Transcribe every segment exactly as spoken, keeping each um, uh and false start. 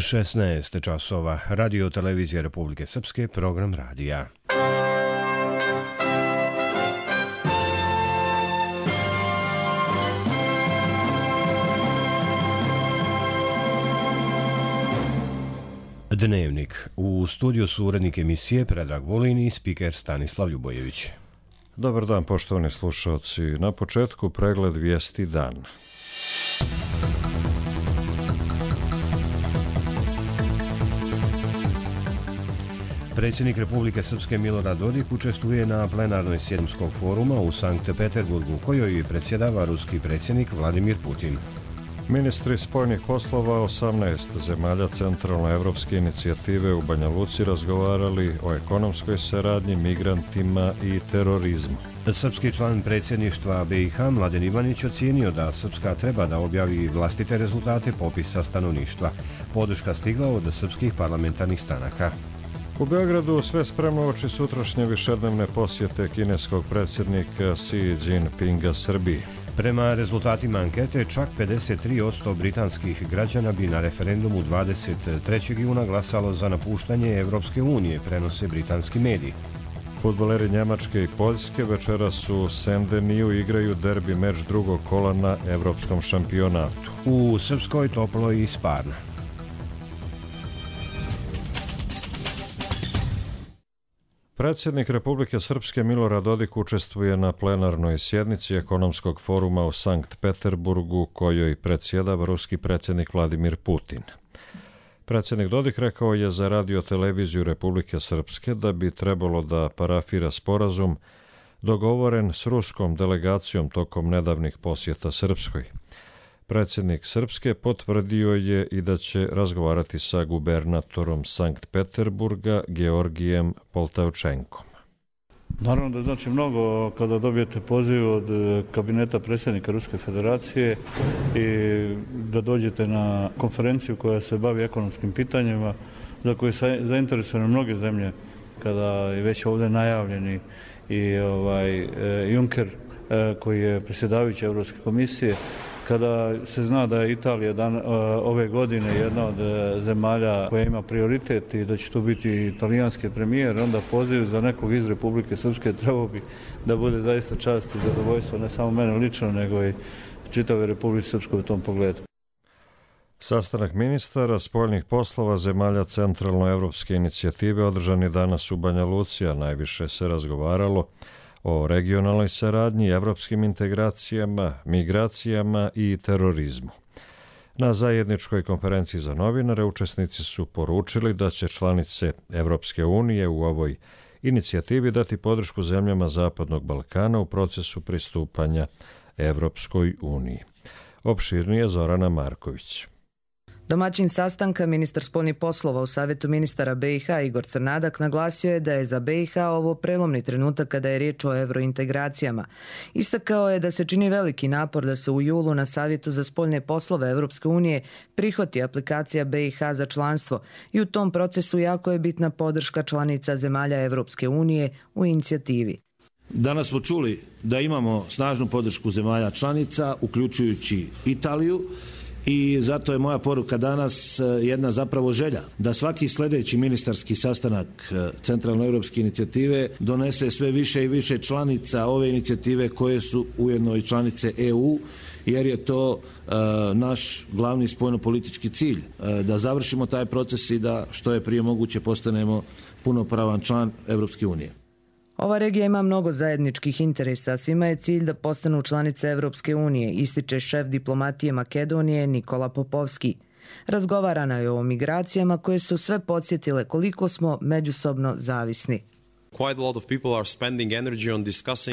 šesnaest časova. Radio televizija Republike Srpske, program radija. Dnevnik. U studiju su urednik emisije Predrag Vulin i spiker Stanislav Ljubojević. Dobar dan, poštovani slušalci. Na početku pregled vijesti dan. Predsjednik Republike Srpske Milorad Dodik učestvuje na plenarnoj sjednici foruma u Sankt Peterburgu, kojoj predsjedava ruski predsjednik Vladimir Putin. Ministri spoljnih poslova osamnaest zemalja centralnoevropske inicijative u Banja Luci razgovarali o ekonomskoj saradnji, migrantima i terorizmu. Srpski član predsjedništva B i H Mladen Ivanić ocijenio da Srpska treba da objavi vlastite rezultate popisa stanovništva. Podrška stigla od srpskih parlamentarnih stranaka. U Beogradu sve spremno oči sutrašnje višednevne posjete kineskog predsjednika Xi Jinpinga Srbiji. Prema rezultatima ankete, čak pedeset tri posto britanskih građana bi na referendumu dvadeset trećeg juna glasalo za napuštanje Evropske unije, prenose britanski mediji. Fudbaleri Njemačke i Poljske večeras u Sendeniju igraju derbi meč drugog kola na evropskom šampionatu. U Srpskoj toplo i Sparna. Predsjednik Republike Srpske Milorad Dodik učestvuje na plenarnoj sjednici ekonomskog foruma u Sankt Peterburgu, kojoj predsjedava ruski predsjednik Vladimir Putin. Predsjednik Dodik rekao je za radio televiziju Republike Srpske da bi trebalo da parafira sporazum dogovoren s ruskom delegacijom tokom nedavnih posjeta Srpskoj. Predsjednik Srpske potvrdio je i da će razgovarati sa gubernatorom Sankt Peterburga Georgijem Poltavčenkom. Naravno da znači mnogo kada dobijete poziv od kabineta predsjednika Ruske federacije i da dođete na konferenciju koja se bavi ekonomskim pitanjima za koje su zainteresovane mnoge zemlje, kada je već ovdje najavljeni i ovaj, Juncker koji je predsjedavajući Europske komisije, kada se zna da je Italija dan, ove godine jedna od zemalja koja ima prioritet i da će to biti italijanski premijer, onda poziv za nekog iz Republike Srpske trebao bi da bude zaista čast i zadovoljstvo ne samo mene lično, nego i čitave Republike Srpske u tom pogledu. Sastanak ministara spoljnih poslova zemalja centralnoevropske inicijative održan je danas u Banja Luci, a najviše se razgovaralo o regionalnoj saradnji, evropskim integracijama, migracijama i terorizmu. Na zajedničkoj konferenciji za novinare učesnici su poručili da će članice Evropske unije u ovoj inicijativi dati podršku zemljama Zapadnog Balkana u procesu pristupanja Evropskoj uniji. Opširnije Zorana Marković. Domaćin sastanka, ministar spoljnih poslova u Savjetu ministara B i H Igor Crnadak naglasio je da je za B i H ovo prelomni trenutak kada je riječ o evrointegracijama. Istakao je da se čini veliki napor da se u julu na Savjetu za spoljne poslove Evropske unije prihvati aplikacija B i H za članstvo i u tom procesu jako je bitna podrška članica zemalja Evropske unije u inicijativi. Danas smo čuli da imamo snažnu podršku zemalja članica, uključujući Italiju, i zato je moja poruka danas jedna zapravo želja da svaki sljedeći ministarski sastanak centralnoevropske inicijative donese sve više i više članica ove inicijative koje su ujedno i članice E U, jer je to uh, naš glavni spoljnopolitički cilj, uh, da završimo taj proces i da što je prije moguće postanemo punopravan član Evropske unije. Ova regija ima mnogo zajedničkih interesa, svima je cilj da postanu članice Evropske unije, ističe šef diplomatije Makedonije Nikola Popovski. Razgovarano je o migracijama koje su sve podsjetile koliko smo međusobno zavisni.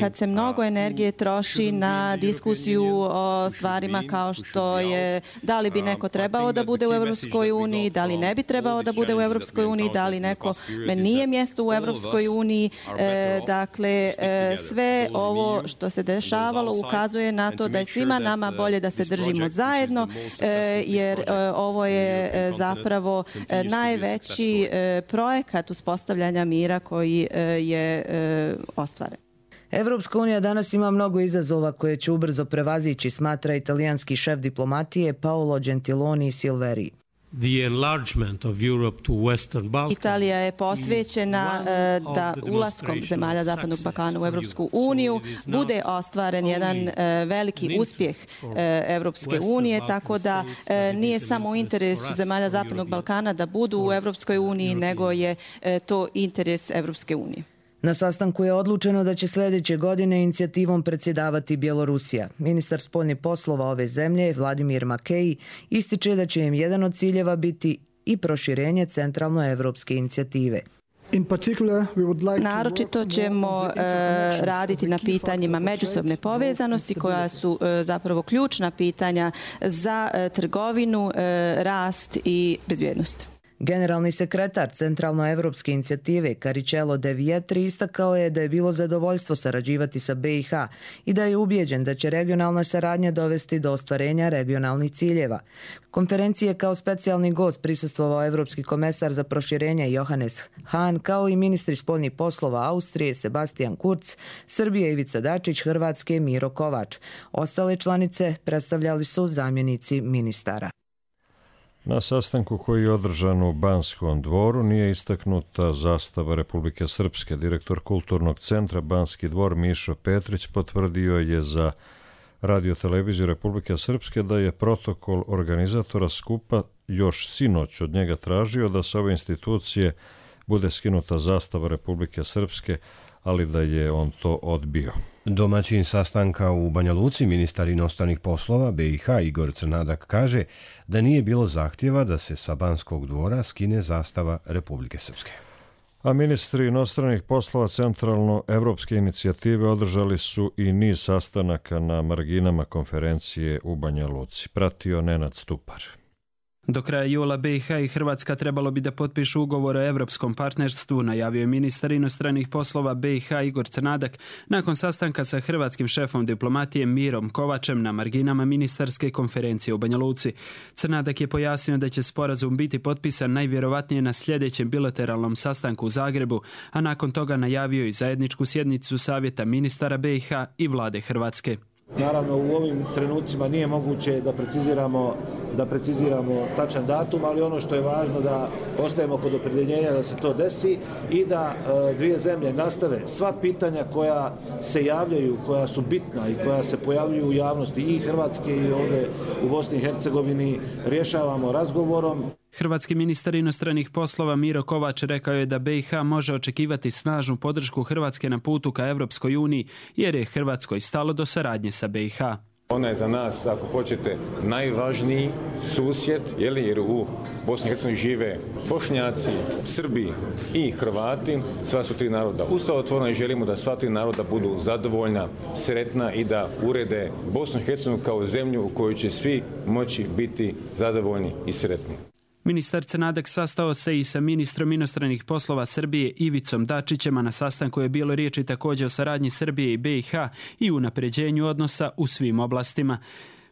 Kad se mnogo energije troši na diskusiju o stvarima kao što je da li bi neko trebao da bude u Evropskoj uniji, da li ne bi trebao da bude u Evropskoj uniji, da li neko nije mjesto u Evropskoj uniji, e, dakle e, sve ovo što se dešavalo ukazuje na to da je svima nama bolje da se držimo zajedno, e, jer e, ovo je e, zapravo e, najveći e, projekat uspostavljanja mira koji e, je e, ostvaren. Evropska unija danas ima mnogo izazova koje će ubrzo prevazići, smatra italijanski šef diplomatije Paolo Gentiloni Silveri. the enlargement of Europe to Western Balkan. Italija je posvećena da ulaskom zemalja Zapadnog Balkana u Evropsku uniju bude ostvaren jedan veliki uspjeh Evropske unije, tako da nije samo u interesu zemalja Zapadnog Balkana da budu u Evropskoj uniji, nego je to interes Evropske unije. Na sastanku je odlučeno da će sljedeće godine inicijativom predsjedavati Bjelorusija. Ministar spoljnih poslova ove zemlje, Vladimir Makej, ističe da će im jedan od ciljeva biti i proširenje centralnoevropske inicijative. Naročito ćemo e, raditi na pitanjima međusobne povezanosti koja su e, zapravo ključna pitanja za e, trgovinu, e, rast i bezbjednost. Generalni sekretar Centralnoevropske inicijative Caricello De Vietri istakao je da je bilo zadovoljstvo sarađivati sa B i H i da je ubijeđen da će regionalna saradnja dovesti do ostvarenja regionalnih ciljeva. Konferencije kao specijalni gost prisustvovao Evropski komesar za proširenje Johannes Hahn, kao i ministri spoljnih poslova Austrije Sebastian Kurz, Srbije Ivica Dačić, Hrvatske Miro Kovač. Ostale članice predstavljali su zamjenici ministara. Na sastanku koji je održan u Banskom dvoru nije istaknuta zastava Republike Srpske. Direktor Kulturnog centra Banski dvor Mišo Petrić potvrdio je za Radio-televiziju Republike Srpske da je protokol organizatora skupa još sinoć od njega tražio da sa ove institucije bude skinuta zastava Republike Srpske, ali da je on to odbio. Domaćin sastanka u Banja Luci, ministar inostranih poslova B i H Igor Crnadak kaže da nije bilo zahtjeva da se sa Banskog dvora skine zastava Republike Srpske. A ministri inostranih poslova Centralno-evropske inicijative održali su i niz sastanaka na marginama konferencije u Banja Luci. Pratio Nenad Stupar. Do kraja jula B i H i Hrvatska trebalo bi da potpišu ugovor o evropskom partnerstvu, najavio je ministar inostranih poslova B i H Igor Crnadak nakon sastanka sa hrvatskim šefom diplomatije Mirom Kovačem na marginama ministarske konferencije u Banja Luci. Crnadak je pojasnio da će sporazum biti potpisan najvjerovatnije na sljedećem bilateralnom sastanku u Zagrebu, a nakon toga najavio i zajedničku sjednicu savjeta ministara B i H i vlade Hrvatske. Naravno, u ovim trenucima nije moguće da preciziramo, da preciziramo tačan datum, ali ono što je važno da ostajemo kod opredjeljenja da se to desi i da e, dvije zemlje nastave sva pitanja koja se javljaju, koja su bitna i koja se pojavljuju u javnosti i Hrvatske i ovdje u Bosni i Hercegovini rješavamo razgovorom. Hrvatski ministar inostranih poslova Miro Kovač rekao je da B i H može očekivati snažnu podršku Hrvatske na putu ka Evropskoj uniji, jer je Hrvatskoj stalo do saradnje sa B i H. Ona je za nas, ako hoćete, najvažniji susjed, jer u Bosni i Hercegovini žive Bošnjaci, Srbi i Hrvati, sva su tri naroda ustavotvorna i želimo da sva tri naroda budu zadovoljna, sretna i da urede Bosnu i Hercegovinu kao zemlju u kojoj će svi moći biti zadovoljni i sretni. Ministar Crnadak sastao se i sa ministrom inostranih poslova Srbije Ivicom Dačićem, a na sastanku je bilo riječi također o saradnji Srbije i B i H i unapređenju odnosa u svim oblastima.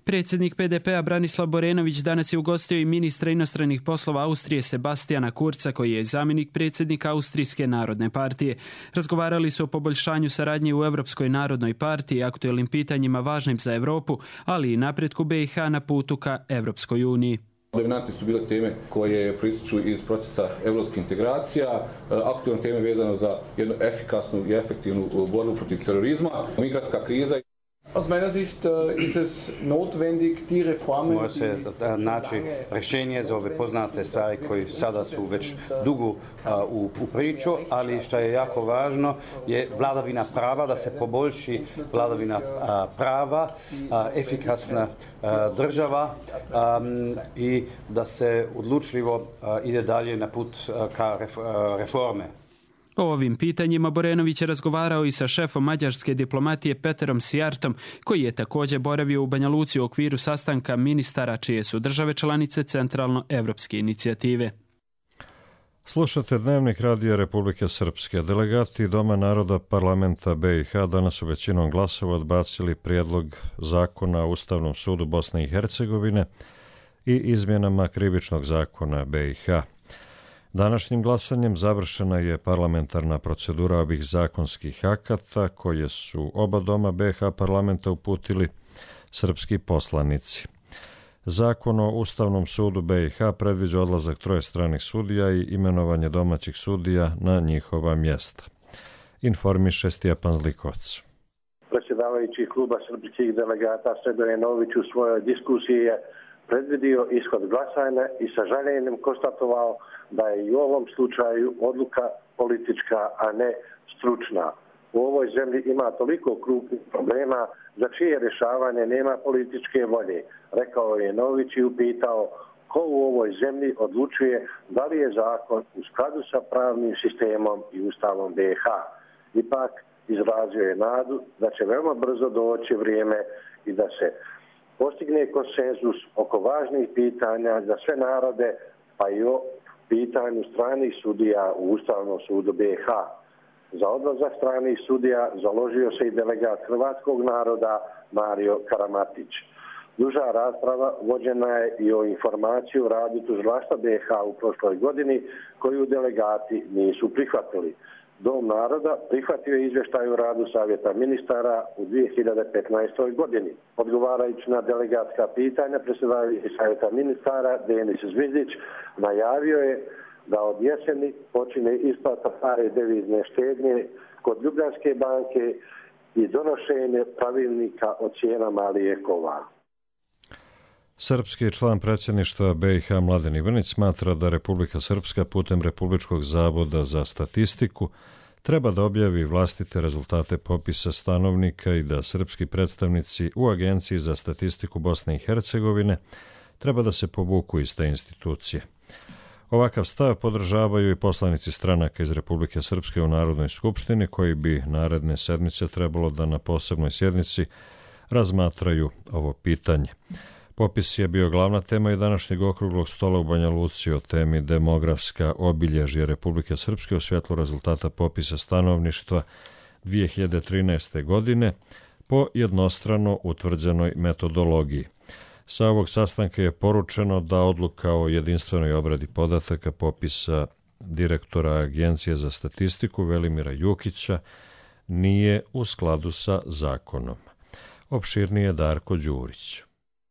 Predsjednik P D P-a Branislav Borenović danas je ugostio i ministra inostranih poslova Austrije Sebastiana Kurza, koji je zamjenik predsjednika Austrijske narodne partije. Razgovarali su o poboljšanju saradnje u Europskoj narodnoj partiji, aktuelnim pitanjima važnim za Europu, ali i napretku B i H na putu ka Europskoj uniji. Dominantne su bile teme koje proističu iz procesa evropskih integracija, aktualne teme vezano za jednu efikasnu i efektivnu borbu protiv terorizma, migrantska kriza. Aus meiner Sicht ist es notwendig die Reformen. Mora se naći rješenje za ove poznate stvari koji sada su već dugo u, u priču, ali što je jako važno je vladavina prava, da se poboljši vladavina prava, efikasna država i da se odlučljivo ide dalje na put ka reforme. O ovim pitanjima Borenović je razgovarao i sa šefom mađarske diplomatije Peterom Sijartom, koji je također boravio u Banja Luci u okviru sastanka ministara čije su države članice Centralno-evropske inicijative. Slušate Dnevnik Radija Republike Srpske. Delegati Doma naroda parlamenta B i H danas su većinom glasova odbacili prijedlog zakona o Ustavnom sudu Bosne i Hercegovine i izmjenama krivičnog zakona B i H. Današnjim glasanjem završena je parlamentarna procedura ovih zakonskih akata koje su oba doma B i H parlamenta uputili srpski poslanici. Zakon o Ustavnom sudu B i H predviđa odlazak troje stranih sudija i imenovanje domaćih sudija na njihova mjesta. Informiše Stjepan Zlikovac. Predsjedavajući kluba srpskih delegata Sredoje Nović u svojoj diskusiji je predvidio ishod glasanja i sa žaljenjem konstatovao da je i u ovom slučaju odluka politička, a ne stručna. U ovoj zemlji ima toliko krupnih problema za čije rješavanje nema političke volje, rekao je Nović i upitao ko u ovoj zemlji odlučuje da li je zakon u skladu sa pravnim sistemom i Ustavom B i H. Ipak izrazio je nadu da će veoma brzo doći vrijeme i da se postigne konsenzus oko važnih pitanja za sve narode, pa i o pitanju stranih sudija u Ustavnom sudu B i H. Za odlazak stranih sudija založio se i delegat hrvatskog naroda Mario Karamatić. Duža rasprava vođena je i o informaciji o radu tužilaštva B i H u prošloj godini koju delegati nisu prihvatili. Dom naroda prihvatio je izvještaj o radu Savjeta ministara u dvije hiljade petnaestoj. godini. Odgovarajući na delegatska pitanja, predsjedavajući Savjeta ministara Denis Zvizdić najavio je da od jeseni počine isplata stare devizne štednje kod Ljubljanske banke i donošenje pravilnika o cijenama lijekova. Srpski član predsjedništva B i H Mladen Ivanić smatra da Republika Srpska putem Republičkog zavoda za statistiku treba da objavi vlastite rezultate popisa stanovnika i da srpski predstavnici u Agenciji za statistiku Bosne i Hercegovine treba da se povuku iz te institucije. Ovakav stav podržavaju i poslanici stranaka iz Republike Srpske u Narodnoj skupštini koji bi naredne sedmice trebalo da na posebnoj sjednici razmatraju ovo pitanje. Popis je bio glavna tema i današnjeg okruglog stola u Banja Luci o temi demografska obilježja Republike Srpske u svjetlu rezultata popisa stanovništva dvije hiljade trinaeste. godine po jednostrano utvrđenoj metodologiji. Sa ovog sastanka je poručeno da odluka o jedinstvenoj obradi podataka popisa direktora Agencije za statistiku Velimira Jukića nije u skladu sa zakonom. Opširnije Darko Đurić.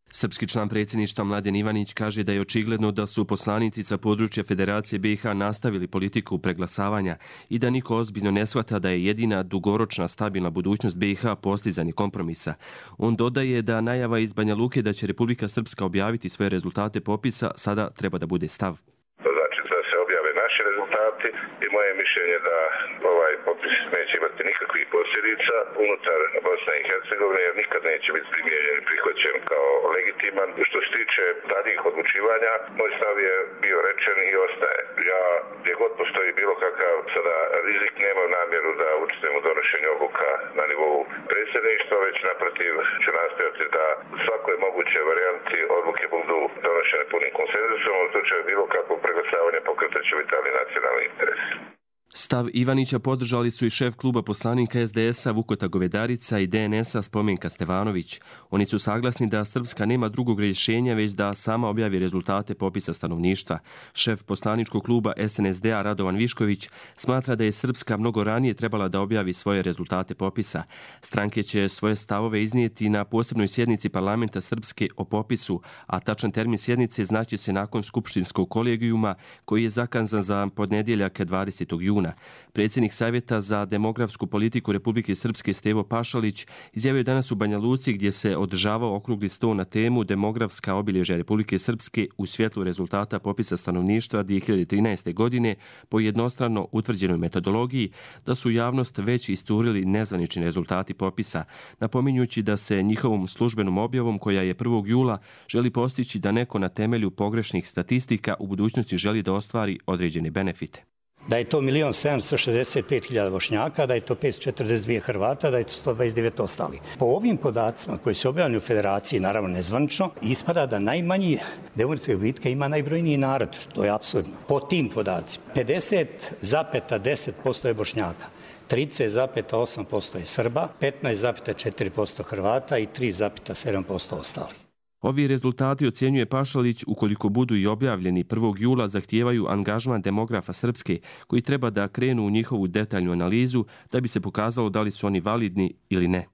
Srpski član predsjedništva Mladen Ivanić kaže da je očigledno da su poslanici sa područja Federacije B i H nastavili politiku preglasavanja i da niko ozbiljno ne shvata da je jedina dugoročna stabilna budućnost B i H postizanje kompromisa. On dodaje da najava iz Banja Luke da će Republika Srpska objaviti svoje rezultate popisa sada treba da bude stav. Znači da se objave naši rezultati i moje mišljenje da ovaj popis neće imati nikakvih posljedica unutar Bosne i Hercegovine jer nikad neće biti primijenjen i prihvaćen kao legitiman. Što se tiče daljih odlučivanja, moj stav je bio rečen i ostaje. Ja, gdje god postoji bilo kakav sada rizik, nemam namjeru da učestvujem u donošenju odluka na nivou predsjedništva, već naprotiv ću nastojati da u svakoj mogućoj varijanti odluke budu donošene punim konsenzusom. U slučaju bilo kakvog preglasavanja pokretat će vitalni nacionalni interes. Stav Ivanića podržali su i šef kluba poslanika S D S-a Vukota Govedarica i D N S-a Spomenka Stevanović. Oni su saglasni da Srpska nema drugog rješenja već da sama objavi rezultate popisa stanovništva. Šef poslaničkog kluba S N S D-a Radovan Višković smatra da je Srpska mnogo ranije trebala da objavi svoje rezultate popisa. Stranke će svoje stavove iznijeti na posebnoj sjednici parlamenta Srpske o popisu, a tačan termin sjednice znaće se nakon skupštinskog kolegijuma koji je zakazan za podnedjeljak dvadesetog juna. Predsjednik Savjeta za demografsku politiku Republike Srpske Stevo Pašalić izjavio danas u Banja Luci gdje se održavao okrugli sto na temu demografska obilježja Republike Srpske u svjetlu rezultata popisa stanovništva dvije hiljade trinaeste. godine po jednostrano utvrđenoj metodologiji da su javnost već iscurili nezvanični rezultati popisa, napominjući da se njihovom službenom objavom koja je prvog jula želi postići da neko na temelju pogrešnih statistika u budućnosti želi da ostvari određene benefite. Da je to milion sedamsto šezdeset pet hiljada Bošnjaka, da je to petsto četrdeset dva Hrvata, da je to sto dvadeset devet ostali. Po ovim podacima koji se objavljaju u Federaciji, naravno nezvanično, ispada da najmanji demografske gubitke ima najbrojniji narod, što je apsurdno. Po tim podacima, pedeset zarez deset posto je Bošnjaka, trideset zarez osam posto je Srba, petnaest zarez četiri posto Hrvata i tri zarez sedam posto ostali. Ovi rezultati, ocjenjuje Pašalić, ukoliko budu i objavljeni prvog jula, zahtijevaju angažman demografa Srpske, koji treba da krenu u njihovu detaljnu analizu da bi se pokazalo da li su oni validni ili ne.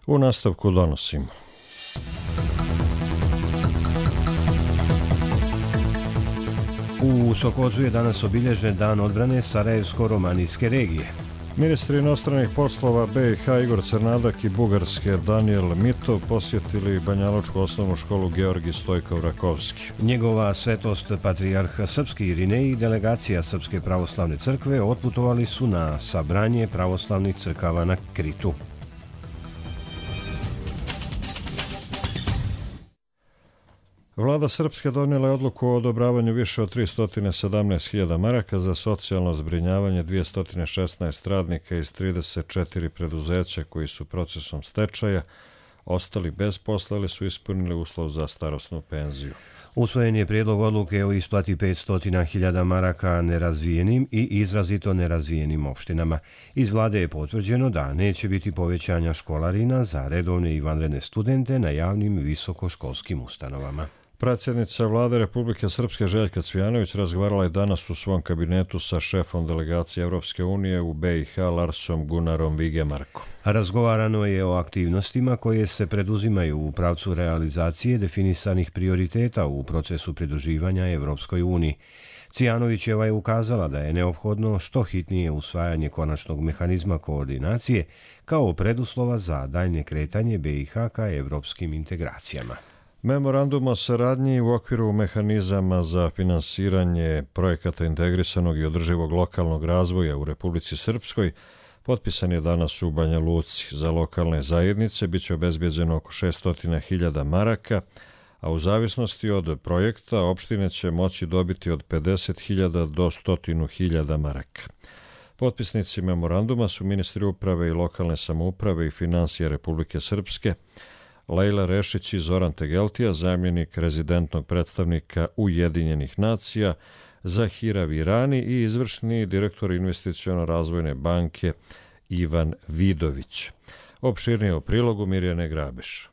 U nastavku donosimo. U Sokocu je danas obilježen dan odbrane Sarajevsko-romanijske regije. Ministri inostranih poslova be i ha Igor Crnadak i Bugarske Danijel Mitov posjetili Banjalučku osnovnu školu Georgij Stojkov Rakovski. Njegova svetost patrijarh Srpski Irinej i delegacija Srpske pravoslavne crkve otputovali su na sabranje pravoslavnih crkava na Kritu. Vlada Srpske donijela je odluku o odobravanju više od tristo sedamnaest hiljada maraka za socijalno zbrinjavanje dvjesto šesnaest radnika iz trideset četiri preduzeća koji su procesom stečaja ostali bez posla ili su ispunili uslov za starosnu penziju. Usvojen je prijedlog odluke o isplati petsto hiljada maraka nerazvijenim i izrazito nerazvijenim opštinama. Iz vlade je potvrđeno da neće biti povećanja školarina za redovne i vanredne studente na javnim visokoškolskim ustanovama. Predsjednica vlade Republike Srpske Željka Cvijanović razgovarala je danas u svom kabinetu sa šefom delegacije Evropske unije u be i ha Larsom Gunarom Vigemarkom. Razgovarano je o aktivnostima koje se preduzimaju u pravcu realizacije definisanih prioriteta u procesu pridruživanja Evropskoj uniji. Cvijanovićeva je ukazala da je neophodno što hitnije usvajanje konačnog mehanizma koordinacije kao preduslova za daljnje kretanje be i ha ka evropskim integracijama. Memorandum o saradnji u okviru mehanizama za finansiranje projekata integrisanog i održivog lokalnog razvoja u Republici Srpskoj potpisan je danas u Banja Luci. Za lokalne zajednice bit će obezbeđeno oko šesto hiljada maraka, a u zavisnosti od projekta opštine će moći dobiti od pedeset hiljada do sto hiljada maraka. Potpisnici memoranduma su ministri uprave i lokalne samouprave i finansije Republike Srpske, Lejla Rešić i Zoran Tegeltija, zamjenik rezidentnog predstavnika Ujedinjenih nacija, Zahira Virani i izvršni direktor investiciono-razvojne banke Ivan Vidović. Opširnije o prilogu Mirjane Grabeš.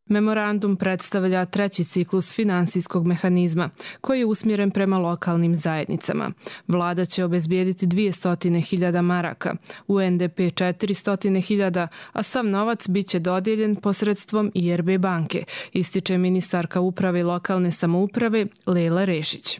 Memorandum predstavlja treći ciklus finansijskog mehanizma koji je usmjeren prema lokalnim zajednicama. Vlada će obezbijediti dvjesto hiljada maraka, u en de pe četiristo hiljada, a sav novac bit će dodijeljen posredstvom i er be banke, ističe ministarka uprave i lokalne samouprave Lejla Rešić.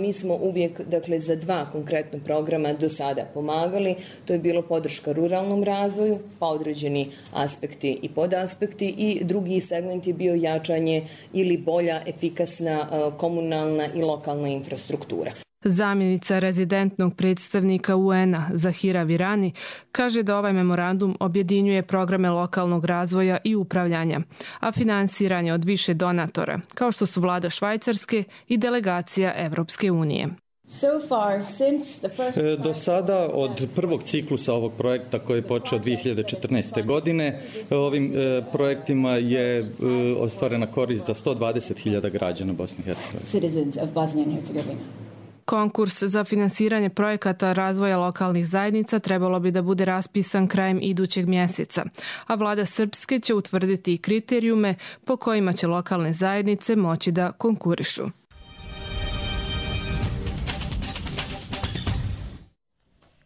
Mi smo uvijek, dakle, za dva konkretna programa do sada pomagali. To je bilo podrška ruralnom razvoju, pa određeni aspekti i podaspekti, i drugi segment je bio jačanje ili bolja, efikasna komunalna i lokalna infrastruktura. Zamjenica rezidentnog predstavnika u en a Zahira Virani kaže da ovaj memorandum objedinjuje programe lokalnog razvoja i upravljanja, a finansiranje od više donatora, kao što su vlada Švajcarske i delegacija Evropske unije. Do sada, od prvog ciklusa ovog projekta koji je počeo dvije hiljade četrnaeste. godine, ovim projektima je ostvarena korist za sto dvadeset hiljada građana Bosne i Hercegovine. Konkurs za finansiranje projekata razvoja lokalnih zajednica trebalo bi da bude raspisan krajem idućeg mjeseca, a vlada Srpske će utvrditi i kriterijume po kojima će lokalne zajednice moći da konkurišu.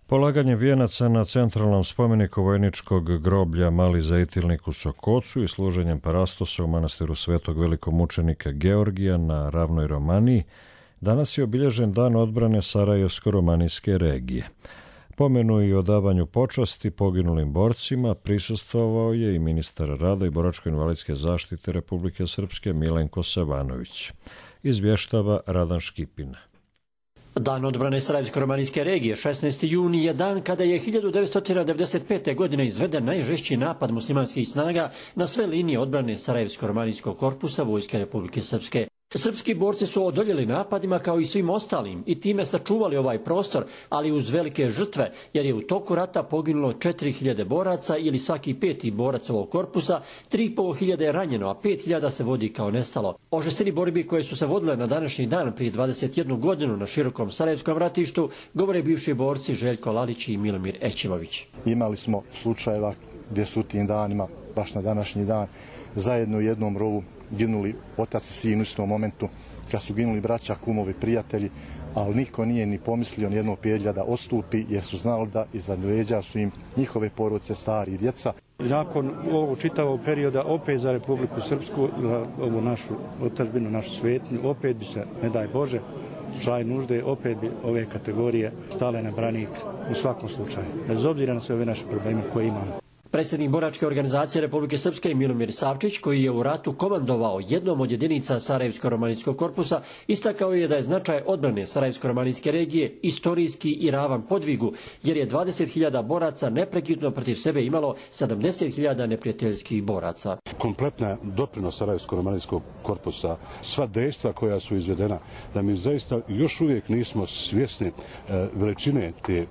Polaganje vijenaca na centralnom spomeniku vojničkog groblja Mali Zejtilnik u Sokocu i služenjem parastosa u manastiru Svetog velikomučenika Georgija na ravnoj Romaniji danas je obilježen dan odbrane Sarajevsko-romanijske regije. Pomenu i odavanju počasti poginulim borcima prisustvovao je i ministar rada i boračko-invalidske zaštite Republike Srpske Milenko Savanović. Izvještava Radan Škipina. Dan odbrane Sarajevsko-romanijske regije, šesnaesti juni, je dan kada je hiljadu devetsto devedeset pete. godine izveden najžešći napad muslimanskih snaga na sve linije odbrane Sarajevsko-romanijskog korpusa Vojske Republike Srpske. Srpski borci su odoljeli napadima kao i svim ostalim i time sačuvali ovaj prostor, ali uz velike žrtve, jer je u toku rata poginulo četiri hiljade boraca ili svaki peti borac ovog korpusa, tri i pol hiljade je ranjeno, a pet hiljada se vodi kao nestalo. O žestini borbi koje su se vodile na današnji dan prije dvadeset jednu godinu na širokom Sarajevskom ratištu govore bivši borci Željko Lalić i Milomir Ećimović. Imali smo slučajeva gdje su u tim danima, baš na današnji dan, zajedno u jednom rovu ginuli otac i sin u istom momentu, kad su ginuli braća, kumovi, prijatelji, ali niko nije ni pomislio nijednog pedlja da odstupi, jer su znali da iza leđa su im njihove porodice, stari i djeca. Nakon ovog čitavog perioda opet za Republiku Srpsku, za ovu našu otadžbinu, našu svetnju, opet bi se, ne daj Bože, slučaju nužde opet bi ove kategorije stale na branik u svakom slučaju, bez obzira na sve ove naše probleme koje imamo. Predsjednik boračke organizacije Republike Srpske Milomir Savčić, koji je u ratu komandovao jednom od jedinica Sarajevsko-romanijskog korpusa, istakao je da je značaj odbrane Sarajevsko-romanijske regije istorijski i ravan podvigu, jer je dvadeset hiljada boraca neprekidno protiv sebe imalo sedamdeset hiljada neprijateljskih boraca. Kompletna doprinos Sarajevsko-romanijskog korpusa, sva dejstva koja su izvedena, da mi zaista još uvijek nismo svjesni e, veličine te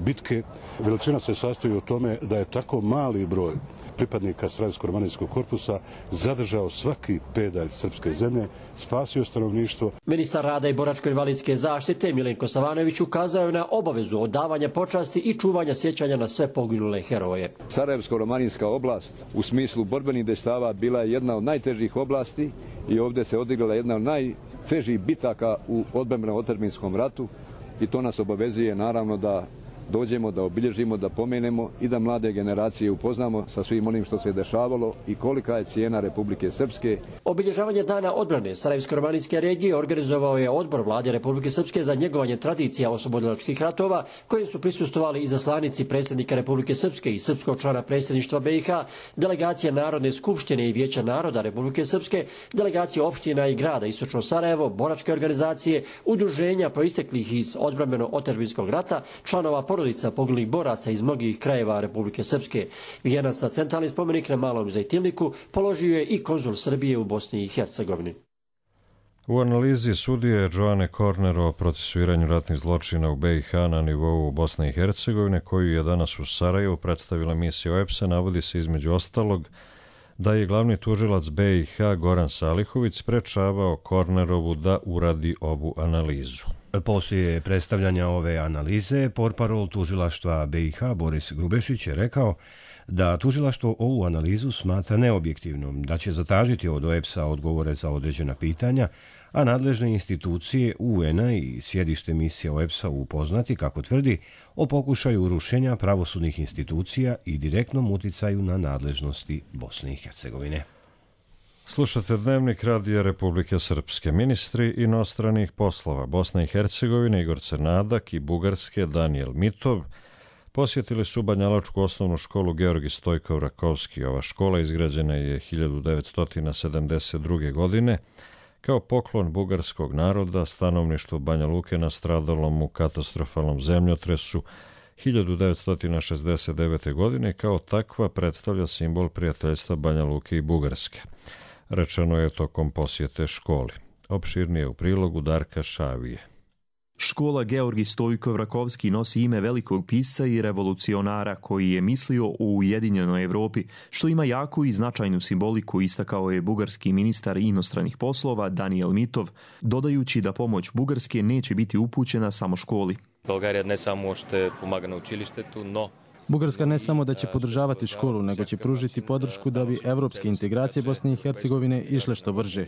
bitke. Veličina se sastoji u tome da je tako mali broj pripadnika Sarajevsko-romanijskog korpusa zadržao svaki pedalj srpske zemlje, spasio stanovništvo. Ministar rada i boračko-invalidske zaštite Milenko Savanović ukazao je na obavezu odavanja počasti i čuvanja sjećanja na sve poginule heroje. Sarajevsko-romanijska oblast u smislu borbenih dejstava bila je jedna od najtežih oblasti i ovdje se odigrala jedna od najtežih bitaka u odbrambeno-otadžbinskom ratu i to nas obavezuje naravno da dođemo, da obilježimo, da pomenemo i da mlade generacije upoznamo sa svim onim što se dešavalo i kolika je cijena Republike Srpske. Obilježavanje Dana odbrane Sarajevsko-romanijske regije organizovao je odbor Vlade Republike Srpske za njegovanje tradicija oslobodilačkih ratova, kojim su prisustvovali izaslanici predsjednika Republike Srpske i srpskog člana predsjedništva B i H, delegacije Narodne skupštine i Vijeća naroda Republike Srpske, delegacije opština i grada Istočno Sarajevo, boračke organizacije, udruženja proisteklih iz odbrambeno-otadžbinskog rata, članova porodica poginulih boraca iz mnogih krajeva Republike Srpske. Vijenac na centralni spomenik na Malom Zajtilniku položio je i konzul Srbije u Bosni i Hercegovini. U analizi sudije Joane Korner o procesuiranju ratnih zločina u B i H na nivou Bosne i Hercegovine, koju je danas u Sarajevu predstavila misija O E P S-a, navodi se između ostalog da je glavni tužilac B i H Goran Salihović sprečavao Kornerovu da uradi ovu analizu. Poslije predstavljanja ove analize, portparol tužilaštva B i H Boris Grubešić je rekao da tužilaštvo ovu analizu smatra neobjektivnom, da će zatražiti od O E P S-a odgovore za određena pitanja, a nadležne institucije U N-a i sjedište misije O E P S-a upoznati, kako tvrdi, o pokušaju urušenja pravosudnih institucija i direktnom uticaju na nadležnosti Bosne i Hercegovine. Slušate Dnevnik Radija Republike Srpske. Ministri inostranih poslova Bosne i Hercegovine Igor Crnadak i Bugarske Danijel Mitov posjetili su banjaločku osnovnu školu Georgi Stojkov Rakovski. Ova škola izgrađena je hiljadu devetsto sedamdeset druge. godine kao poklon bugarskog naroda stanovništvu Banja Luke nastradalom u katastrofalnom zemljotresu hiljadu devetsto šezdeset devete. godine. Kao takva predstavlja simbol prijateljstva Banja Luke i Bugarske. Rečeno je tokom posjete školi. Opširnije u prilogu Darka Šavije. Škola Georgi Stojkov Rakovski nosi ime velikog pisca i revolucionara koji je mislio o ujedinjenoj Evropi, što ima jaku i značajnu simboliku, istakao je bugarski ministar inostranih poslova Danijel Mitov, dodajući da pomoć Bugarske neće biti upućena samo školi. Bulgarija ne samo što pomaga na učilištetu, no Bugarska ne samo da će podržavati školu, nego će pružiti podršku da bi evropske integracije Bosne i Hercegovine išle što brže.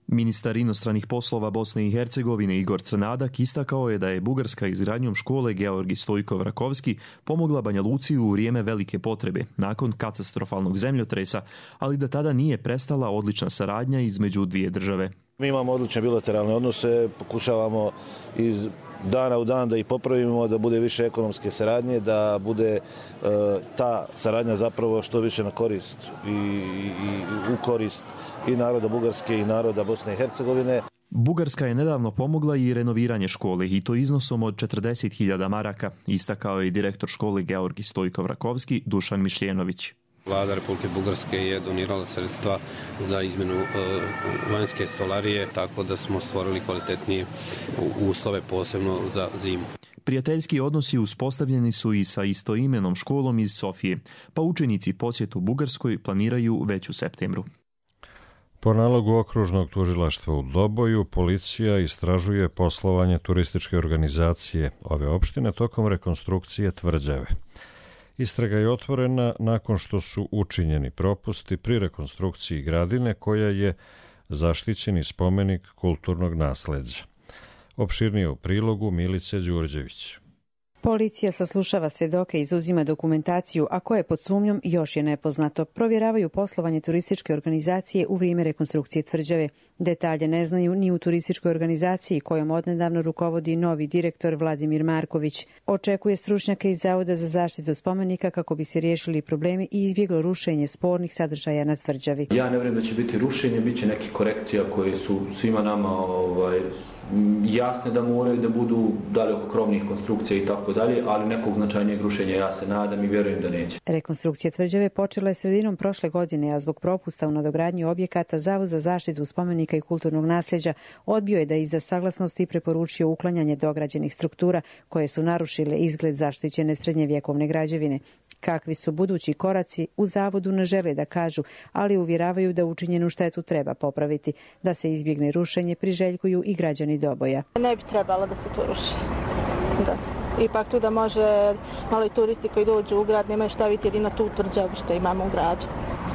Ministar inostranih poslova Bosne i Hercegovine Igor Crnadak istakao je da je Bugarska izgradnjom škole Georgi Stojkov Rakovski pomogla Banja Luci u vrijeme velike potrebe, nakon katastrofalnog zemljotresa, ali da tada nije prestala odlična saradnja između dvije države. Mi imamo odlične bilateralne odnose, pokušavamo iz dana u dan da ih popravimo, da bude više ekonomske saradnje, da bude e, ta saradnja zapravo što više na korist i, i, i u korist i naroda Bugarske i naroda Bosne i Hercegovine. Bugarska je nedavno pomogla i renoviranje škole i to iznosom od četrdeset hiljada maraka, istakao je direktor škole Georgi Stojkov Rakovski Dušan Mišljenović. Vlada Republike Bugarske je donirala sredstva za izmjenu e, vanjske stolarije, tako da smo stvorili kvalitetnije uslove posebno za zimu. Prijateljski odnosi uspostavljeni su i sa istoimenom školom iz Sofije, pa učenici posjetu Bugarskoj planiraju već u septembru. Po nalogu okružnog tužilaštva u Doboju, policija istražuje poslovanje turističke organizacije ove opštine tokom rekonstrukcije tvrđave. Istraga je otvorena nakon što su učinjeni propusti pri rekonstrukciji gradine koja je zaštićeni spomenik kulturnog nasleđa. Opširnije u prilogu Milice Đurđević. Policija saslušava svjedoke i izuzima dokumentaciju, a koje pod sumnjom još je nepoznato. Provjeravaju poslovanje turističke organizacije u vrijeme rekonstrukcije tvrđave. Detalje ne znaju ni u turističkoj organizaciji kojom odnedavno rukovodi novi direktor Vladimir Marković. Očekuje stručnjake iz Zavoda za zaštitu spomenika kako bi se riješili problemi i izbjeglo rušenje spornih sadržaja na tvrđavi. Ja ne vjerujem da će biti rušenje, bit će neke korekcija koje su svima nama ovaj, jasne da moraju da budu dalje oko krovnih konstrukcija i tako dalje, ali nekog značajnijeg rušenja ja se nadam i vjerujem da neće. Rekonstrukcija tvrđave počela je sredinom prošle godine, a zbog propusta u nadogradnji objekata Zavod za zaštitu spomenika i kulturnog nasljeđa odbio je da izda saglasnost i preporučio uklanjanje dograđenih struktura koje su narušile izgled zaštićene srednjevjekovne građevine. Kakvi su budući koraci u zavodu ne žele da kažu, ali uvjeravaju da učinjenu štetu treba popraviti. Da se izbjegne rušenje priželjkuju i građani Doboja. Ne bi trebalo da se to ruši. Da. Ipak tu da može malo i turisti koji dođu u grad nemaju šta vidjeti jedino tu tvrđavu što imamo u gradu.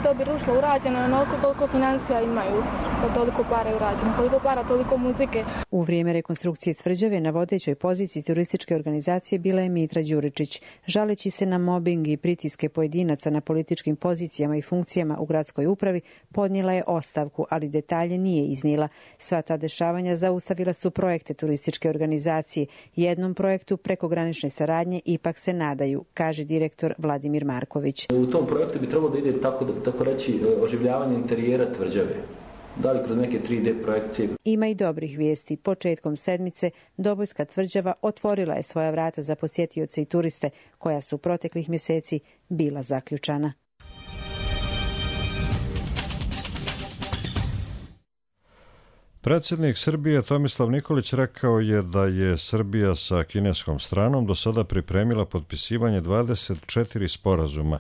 Što bi rušilo urađeno onoliko koliko financija imaju, pa toliko para je urađeno, koliko para, toliko muzike. U vrijeme rekonstrukcije tvrđave na vodećoj poziciji turističke organizacije bila je Mitra Đuričić. Žaleći se na mobing i pritiske pojedinaca na političkim pozicijama i funkcijama u gradskoj upravi, podnijela je ostavku, ali detalje nije iznijela. Sva ta dešavanja zaustavila su projekte turističke organizacije. Jednom projektu prekogranične saradnje ipak se nadaju, kaže direktor Vladimir Marković. U tom projektu bi trebalo da ide tako da tako reći oživljavanje interijera tvrđave. Da li kroz neke tri D projekcije. Ima i dobrih vijesti. Početkom sedmice Dobojska tvrđava otvorila je svoja vrata za posjetioce i turiste, koja su proteklih mjeseci bila zaključana. Predsjednik Srbije Tomislav Nikolić rekao je da je Srbija sa kineskom stranom do sada pripremila potpisivanje dvadeset četiri sporazuma,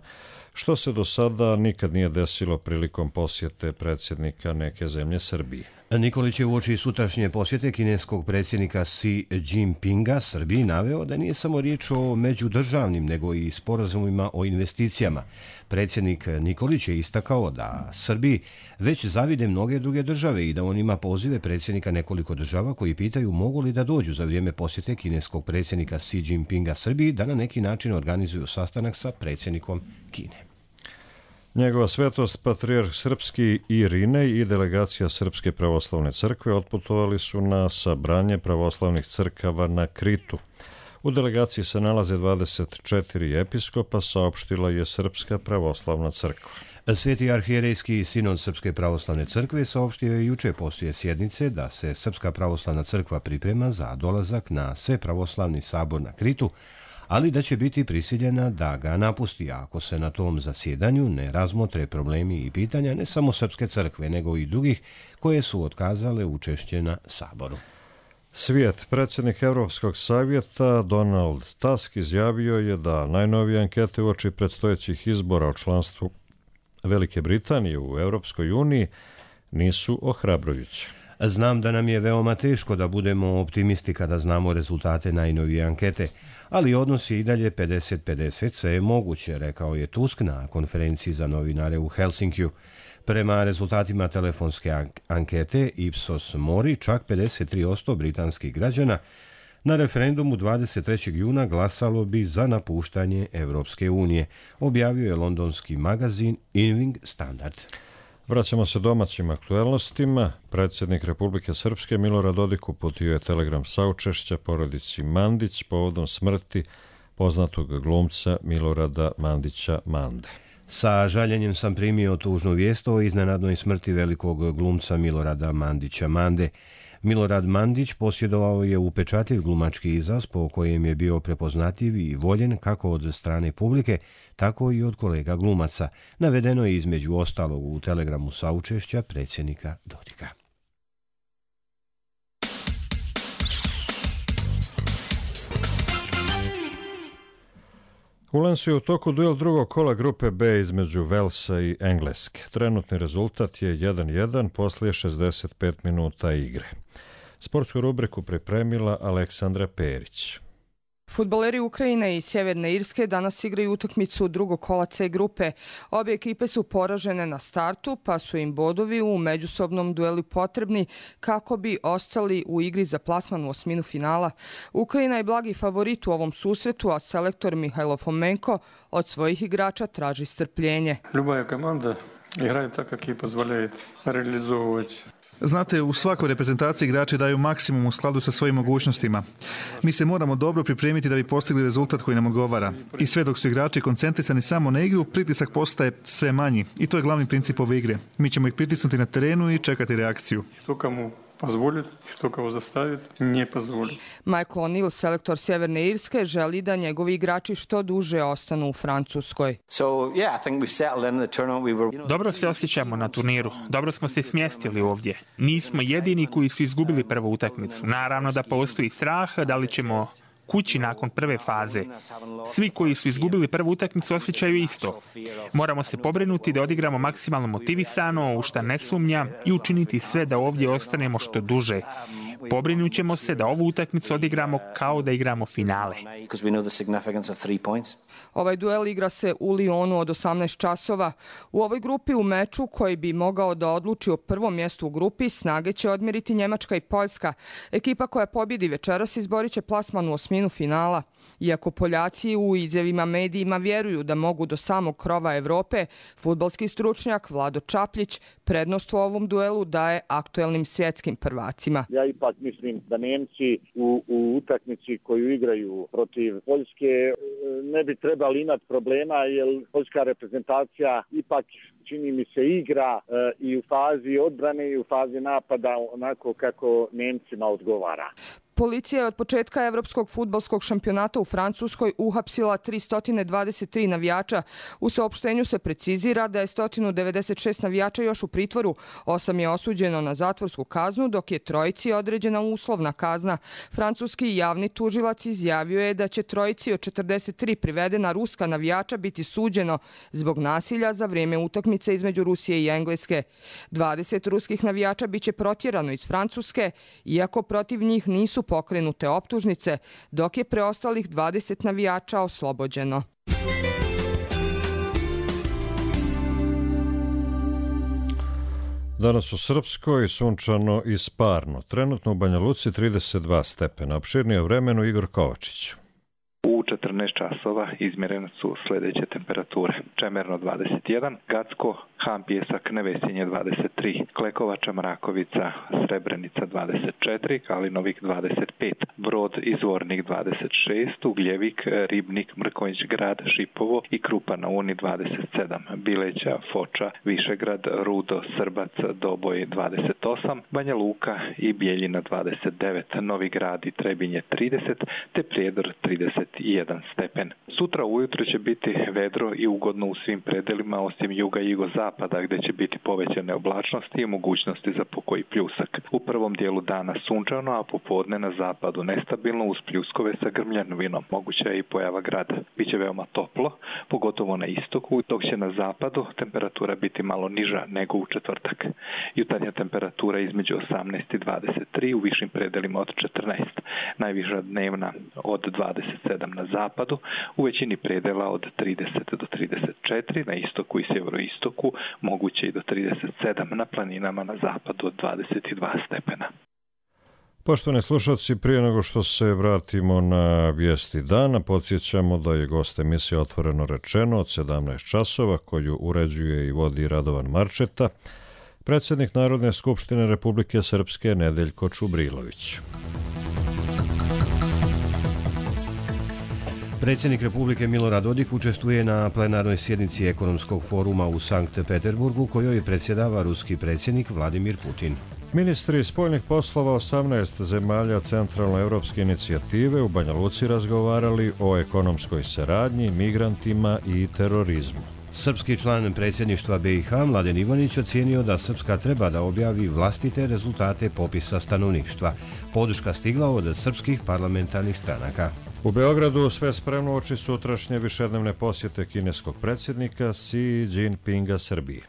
što se do sada nikad nije desilo prilikom posjete predsjednika neke zemlje Srbiji. Nikolić je uoči sutrašnje posjete kineskog predsjednika Xi Jinpinga Srbiji naveo da nije samo riječ o međudržavnim, nego i sporazumima o investicijama. Predsjednik Nikolić je istakao da Srbiji već zavide mnoge druge države i da on ima pozive predsjednika nekoliko država koji pitaju mogu li da dođu za vrijeme posjete kineskog predsjednika Xi Jinpinga Srbiji da na neki način organizuju sastanak sa predsjednikom Kine. Njegova svetost, patrijarh srpski Irinej i delegacija Srpske pravoslavne crkve otputovali su na sabranje pravoslavnih crkava na Kritu. U delegaciji se nalaze dvadeset četiri episkopa, saopštila je Srpska pravoslavna crkva. Sveti arhijerejski sinod Srpske pravoslavne crkve saopštio je juče poslije sjednice da se Srpska pravoslavna crkva priprema za dolazak na sve pravoslavni sabor na Kritu, ali da će biti prisiljena da ga napusti ako se na tom zasjedanju ne razmotre problemi i pitanja ne samo Srpske crkve, nego i drugih koje su otkazale učešće na saboru. Svijet, predsjednik Europskog savjeta Donald Tusk izjavio je da najnovije ankete uoči predstojećih izbora o članstvu Velike Britanije u Europskoj uniji nisu ohrabrujuće. Znam da nam je veoma teško da budemo optimisti kada znamo rezultate najnovije ankete, ali odnos je i dalje pedeset pedeset, sve je moguće, rekao je Tusk na konferenciji za novinare u Helsinkiju. Prema rezultatima telefonske ankete Ipsos Mori, čak pedeset tri posto britanskih građana na referendumu dvadeset trećeg juna glasalo bi za napuštanje Evropske unije, objavio je londonski magazin Evening Standard. Vraćamo se domaćim aktuelnostima. Predsjednik Republike Srpske Milorad Dodik uputio je telegram saučešća porodici Mandić povodom smrti poznatog glumca Milorada Mandića Mande. Sa žaljenjem sam primio tužnu vijest o iznenadnoj smrti velikog glumca Milorada Mandića Mande. Milorad Mandić posjedovao je upečatljiv glumački izraz po kojem je bio prepoznatljiv i voljen kako od strane publike, tako i od kolega glumaca. Navedeno je između ostalog u telegramu saučešća predsjednika Dodika. U Lensu je u toku duel drugog kola grupe B između Velsa i Engleske. Trenutni rezultat je jedan jedan poslije šezdeset pet minuta igre. Sportsku rubriku pripremila Aleksandra Perić. Fudbaleri Ukrajine i Sjeverne Irske danas igraju utakmicu drugog kola C grupe. Obje ekipe su poražene na startu, pa su im bodovi u međusobnom duelu potrebni kako bi ostali u igri za plasman u osminu finala. Ukrajina je blagi favorit u ovom susretu, a selektor Mihajlo Fomenko od svojih igrača traži strpljenje. Любая команда играет так, как ей позволяет реализовывать. Znate, u svakoj reprezentaciji igrači daju maksimum u skladu sa svojim mogućnostima. Mi se moramo dobro pripremiti da bi postigli rezultat koji nam odgovara. I sve dok su igrači koncentrisani samo na igru, pritisak postaje sve manji. I to je glavni princip ove igre. Mi ćemo ih pritisnuti na terenu i čekati reakciju. Позволит, что кого заставит, не позволит. Michael O'Neill, selektor Sjeverne Irske, želi da njegovi igrači što duže ostanu u Francuskoj. So, yeah, I think we've settled in the tournament. We were... Dobro se osjećamo na turniru. Dobro smo se smjestili ovdje. Nismo jedini koji su izgubili prvu utakmicu. Naravno da postoji strah da li ćemo kući nakon prve faze. Svi koji su izgubili prvu utakmicu osjećaju isto. Moramo se pobrinuti da odigramo maksimalno motivisano, u šta ne sumnja, i učiniti sve da ovdje ostanemo što duže. Pobrinut ćemo se da ovu utakmicu odigramo kao da igramo finale. Ovaj duel igra se u Lyonu od osamnaest časova. U ovoj grupi u meču koji bi mogao da odluči o prvom mjestu u grupi snage će odmjeriti Njemačka i Poljska. Ekipa koja pobjedi večeras izborit će plasman u osminu finala. Iako Poljaci u izjavima medijima vjeruju da mogu do samog krova Evrope, fudbalski stručnjak Vlado Čapljić prednost u ovom duelu daje aktuelnim svjetskim prvacima. Ja ipak mislim da Nemci u, u utakmici koju igraju protiv Poljske ne bi trebali imati problema, jer poljska reprezentacija ipak, čini mi se, igra e, i u fazi odbrane i u fazi napada onako kako Nemcima odgovara. Policija je od početka Evropskog fudbalskog šampionata u Francuskoj uhapsila tristo dvadeset tri navijača. U saopštenju se precizira da je sto devedeset šest navijača još u pritvoru, osam je osuđeno na zatvorsku kaznu, dok je trojici određena uslovna kazna. Francuski javni tužilac izjavio je da će trojici od četrdeset tri privedena ruska navijača biti suđeno zbog nasilja za vrijeme utakmice između Rusije i Engleske. dvadeset ruskih navijača biće protjerano iz Francuske, iako protiv njih nisu pokrenute optužnice, dok je preostalih dvadeset navijača oslobođeno. Danas u Srpskoj sunčano i sparno. Trenutno u Banja Luci trideset dva stepena. Opširnije vremenu Igor Kovačić. U četrnaest časova izmjerene su sljedeće temperature. Čemerno dvadeset jedan, Gacko, Han Pjesak, Nevesinje dvadeset tri, Klekovača, Mrakovica, Srebrenica dvadeset četiri, Kalinovik dvadeset pet, Brod i Zvornik dvadeset šest, Ugljevik, Ribnik, Mrkonjić Grad, Šipovo i Krupa na Uni dvadeset sedam, Bileća, Foča, Višegrad, Rudo, Srbac, Doboj dvadeset osam, Banja Luka i Bijeljina dvadeset devet, Novi Grad i Trebinje trideset, te Prijedor trideset jedan stepen. Sutra ujutro će biti vedro i ugodno u svim predelima osim juga i jugozapada gdje će biti povećane oblačnosti i mogućnosti za pokoji pljusak. U prvom dijelu dana sunčano, a popodne na zapadu nestabilno uz pljuskove sa grmljanovinom. Moguća je i pojava grada. Biće veoma toplo, pogotovo na istoku, dok će na zapadu temperatura biti malo niža nego u četvrtak. Jutarnja temperatura između osamnaest i dvadeset tri, u višim predelima od četrnaest. Najviša dnevna od dvadeset sedam na zapadu, u većini predela od trideset do trideset četiri, na istoku i sjeveroistoku moguće i do trideset sedam, na planinama na zapadu od dvadeset dva stepena. Poštovani slušalci, prije nego što se vratimo na vijesti dana, podsjećamo da je gost emisije Otvoreno rečeno od sedamnaest časova, koju uređuje i vodi Radovan Marčeta, predsjednik Narodne skupštine Republike Srpske Nedeljko Čubrilović. Predsjednik Republike Milorad Dodik učestvuje na plenarnoj sjednici ekonomskog foruma u Sankt Peterburgu, kojoj predsjedava ruski predsjednik Vladimir Putin. Ministri spoljnih poslova osamnaest zemalja centralnoevropske inicijative u Banja Luci razgovarali o ekonomskoj saradnji, migrantima i terorizmu. Srpski član predsjedništva B i H Mladen Ivanić ocijenio da Srpska treba da objavi vlastite rezultate popisa stanovništva. Podrška stigla od srpskih parlamentarnih stranaka. U Beogradu sve spremno oči sutrašnje višednevne posjete kineskog predsjednika Xi Jinpinga Srbiji.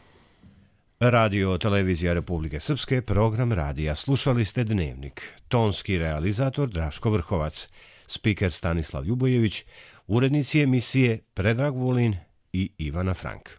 Radio Televizija Republike Srpske, program radija. Slušali ste Dnevnik. Tonski realizator Draško Vrhovac. spiker Stanislav Ljubojević, urednici emisije Predrag Vulin i Ivana Frank.